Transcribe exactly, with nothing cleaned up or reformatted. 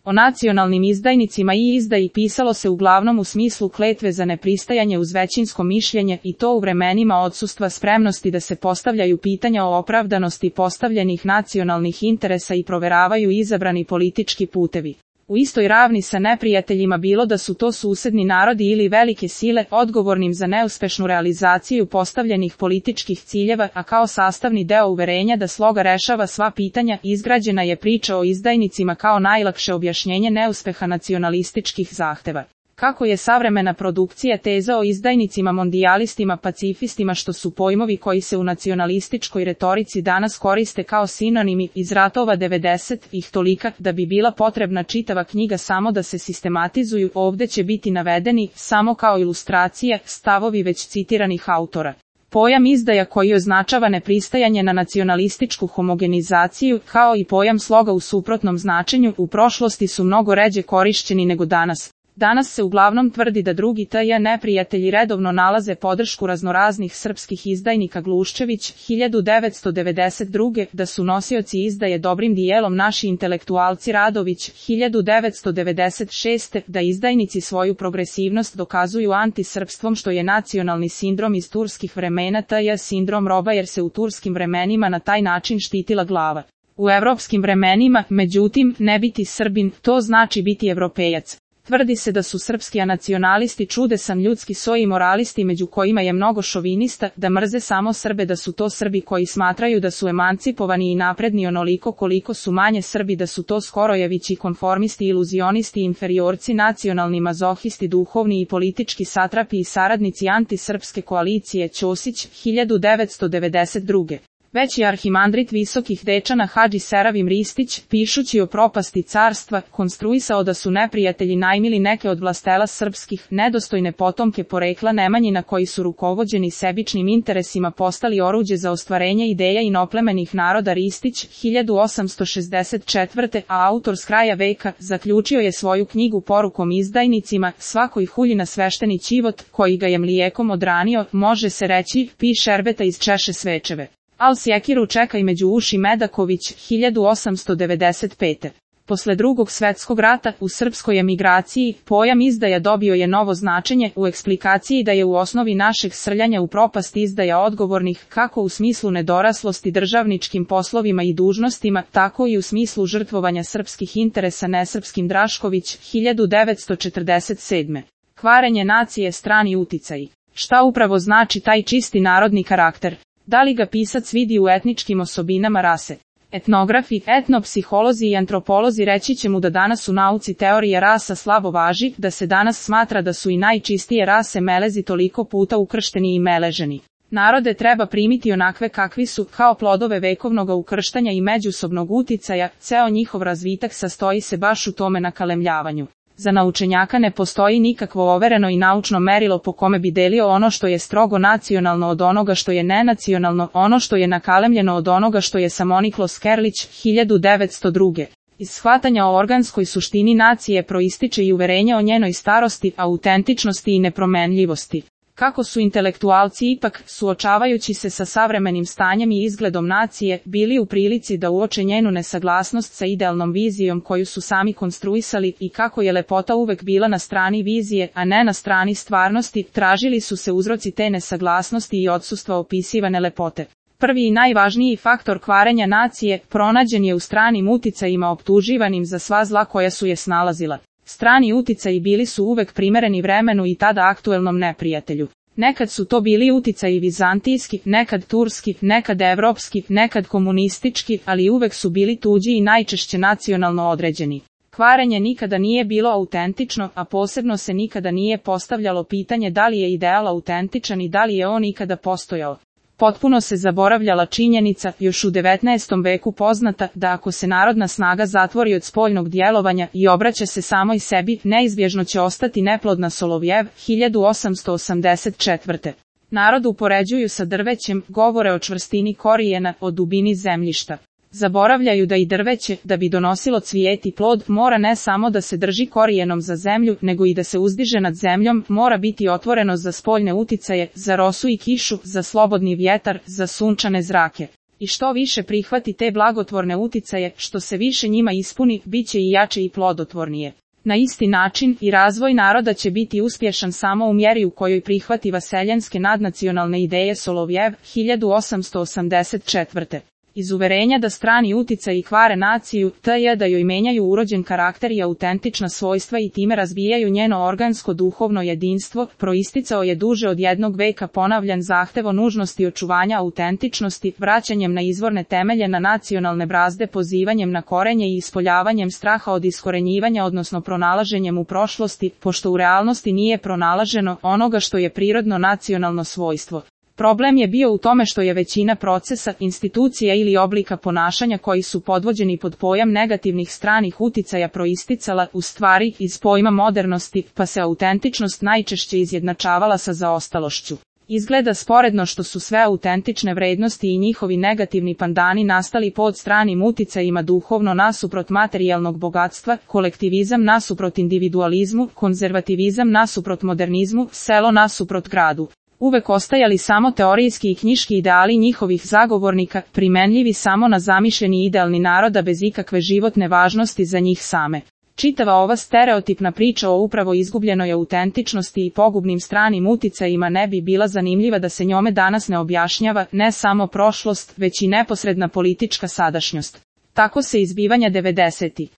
O nacionalnim izdajnicima i izdaji pisalo se uglavnom u smislu kletve za nepristajanje uz većinsko mišljenje i to u vremenima odsustva spremnosti da se postavljaju pitanja o opravdanosti postavljenih nacionalnih interesa i proveravaju izabrani politički putevi. U istoj ravni sa neprijateljima bilo da su to susedni narodi ili velike sile odgovornim za neuspešnu realizaciju postavljenih političkih ciljeva, a kao sastavni deo uverenja da sloga rešava sva pitanja, izgrađena je priča o izdajnicima kao najlakše objašnjenje neuspeha nacionalističkih zahteva. Kako je savremena produkcija teza o izdajnicima, mondijalistima, pacifistima, što su pojmovi koji se u nacionalističkoj retorici danas koriste kao sinonimi iz ratova devedesetih tolika da bi bila potrebna čitava knjiga samo da se sistematizuju, ovde će biti navedeni samo kao ilustracije stavovi već citiranih autora. Pojam izdaja koji označava nepristajanje na nacionalističku homogenizaciju, kao i pojam sloga u suprotnom značenju, u prošlosti su mnogo ređe korišćeni nego danas. Danas se uglavnom tvrdi da drugi T J neprijatelji redovno nalaze podršku raznoraznih srpskih izdajnika. Gluščević, hiljadu devetsto devedeset druge. Da su nosioci izdaje dobrim dijelom naši intelektualci. Radović, hiljadu devetsto devedeset šeste. Da izdajnici svoju progresivnost dokazuju antisrpstvom, što je nacionalni sindrom iz turskih vremena, T J sindrom roba, jer se u turskim vremenima na taj način štitila glava. U evropskim vremenima, međutim, ne biti Srbin, to znači biti Evropejac. Tvrdi se da su srpski nacionalisti čudesan ljudski soj i moralisti među kojima je mnogo šovinista, da mrze samo Srbe, da su to Srbi koji smatraju da su emancipovani i napredni onoliko koliko su manje Srbi, da su to Skorojevići konformisti, iluzionisti, inferiorci, nacionalni mazohisti, duhovni i politički satrapi i saradnici antisrpske koalicije. Ćosić, hiljadu devetsto devedeset druge. Veći arhimandrit visokih dečana Hadži Seravim Ristić, pišući o propasti carstva, konstruisao da su neprijatelji najmili neke od vlastela srpskih, nedostojne potomke porekla Nemanjina koji su rukovođeni sebičnim interesima postali oruđe za ostvarenje ideja inoplemenih naroda. Ristić, hiljadu osamsto šezdeset četvrte. a autor s kraja veka, zaključio je svoju knjigu porukom izdajnicima, svakoj hulji na svešteni ćivot, koji ga je mlijekom odranio, može se reći, pi šerbeta iz češe svečeve. Al sjekiru čekaj među uši. Medaković, hiljadu osamsto devedeset pete. Posle drugog svetskog rata, u srpskoj emigraciji, pojam izdaja dobio je novo značenje, u eksplikaciji da je u osnovi našeg srljanja u propast izdaja odgovornih, kako u smislu nedoraslosti državničkim poslovima i dužnostima, tako i u smislu žrtvovanja srpskih interesa nesrpskim. Drašković, hiljadu devetsto četrdeset sedme. Kvarenje nacije, strani uticaji. Šta upravo znači taj čisti narodni karakter? Da li ga pisac vidi u etničkim osobinama rase? Etnografi, etnopsiholozi i antropolozi reći će mu da danas u nauci teorija rasa slabo važi, da se danas smatra da su i najčistije rase melezi toliko puta ukršteni i meleženi. Narode treba primiti onakve kakvi su, kao plodove vekovnog ukrštanja i međusobnog uticaja, ceo njihov razvitak sastoji se baš u tome nakalemljavanju. Za naučenjaka ne postoji nikakvo overeno i naučno merilo po kome bi delio ono što je strogo nacionalno od onoga što je nenacionalno, ono što je nakalemljeno od onoga što je samoniklo. Skerlić, hiljadu devetsto druge. Iz shvatanja o organskoj suštini nacije proističe i uverenje o njenoj starosti, autentičnosti i nepromenljivosti. Kako su intelektualci ipak, suočavajući se sa savremenim stanjem i izgledom nacije, bili u prilici da uoče njenu nesaglasnost sa idealnom vizijom koju su sami konstruisali i kako je lepota uvek bila na strani vizije, a ne na strani stvarnosti, tražili su se uzroci te nesaglasnosti i odsustva opisivane lepote. Prvi i najvažniji faktor kvarenja nacije pronađen je u stranim uticajima optuživanim za sva zla koja su je snalazila. Strani uticaji bili su uvek primereni vremenu i tada aktuelnom neprijatelju. Nekad su to bili uticaji vizantijski, nekad turski, nekad evropski, nekad komunistički, ali uvek su bili tuđi i najčešće nacionalno određeni. Kvarenje nikada nije bilo autentično, a posebno se nikada nije postavljalo pitanje da li je ideal autentičan i da li je on ikada postojao. Potpuno se zaboravljala činjenica, još u devetnaestom veku poznata, da ako se narodna snaga zatvori od spoljnog djelovanja i obraća se samoj sebi, neizbježno će ostati neplodna. Solovjev, hiljadu osamsto osamdeset četvrte. Narod upoređuju sa drvećem, govore o čvrstini korijena, o dubini zemljišta. Zaboravljaju da i drveće, da bi donosilo cvijet i plod, mora ne samo da se drži korijenom za zemlju, nego i da se uzdiže nad zemljom, mora biti otvoreno za spoljne uticaje, za rosu i kišu, za slobodni vjetar, za sunčane zrake. I što više prihvati te blagotvorne uticaje, što se više njima ispuni, bit će i jače i plodotvornije. Na isti način, i razvoj naroda će biti uspješan samo u mjeri u kojoj prihvati vaseljanske nadnacionalne ideje Solovjev, hiljadu osamsto osamdeset četvrte. Iz uverenja da strani uticaji kvare naciju, t je da joj menjaju urođen karakter i autentična svojstva i time razbijaju njeno organsko duhovno jedinstvo, proisticao je duže od jednog veka ponavljan zahtev o nužnosti očuvanja autentičnosti, vraćanjem na izvorne temelje na nacionalne brazde, pozivanjem na korenje i ispoljavanjem straha od iskorenjivanja odnosno pronalaženjem u prošlosti, pošto u realnosti nije pronalaženo onoga što je prirodno nacionalno svojstvo. Problem je bio u tome što je većina procesa, institucija ili oblika ponašanja koji su podvođeni pod pojam negativnih stranih uticaja proisticala, u stvari, iz pojma modernosti, pa se autentičnost najčešće izjednačavala sa zaostalošću. Izgleda sporedno što su sve autentične vrednosti i njihovi negativni pandani nastali pod stranim uticajima duhovno nasuprot materijalnog bogatstva, kolektivizam nasuprot individualizmu, konzervativizam nasuprot modernizmu, selo nasuprot gradu. Uvek ostajali samo teorijski i knjiški ideali njihovih zagovornika, primenljivi samo na zamišljeni idealni naroda bez ikakve životne važnosti za njih same. Čitava ova stereotipna priča o upravo izgubljenoj autentičnosti i pogubnim stranim uticajima ne bi bila zanimljiva da se njome danas ne objašnjava ne samo prošlost, već i neposredna politička sadašnjost. Tako se izbivanja devedesetih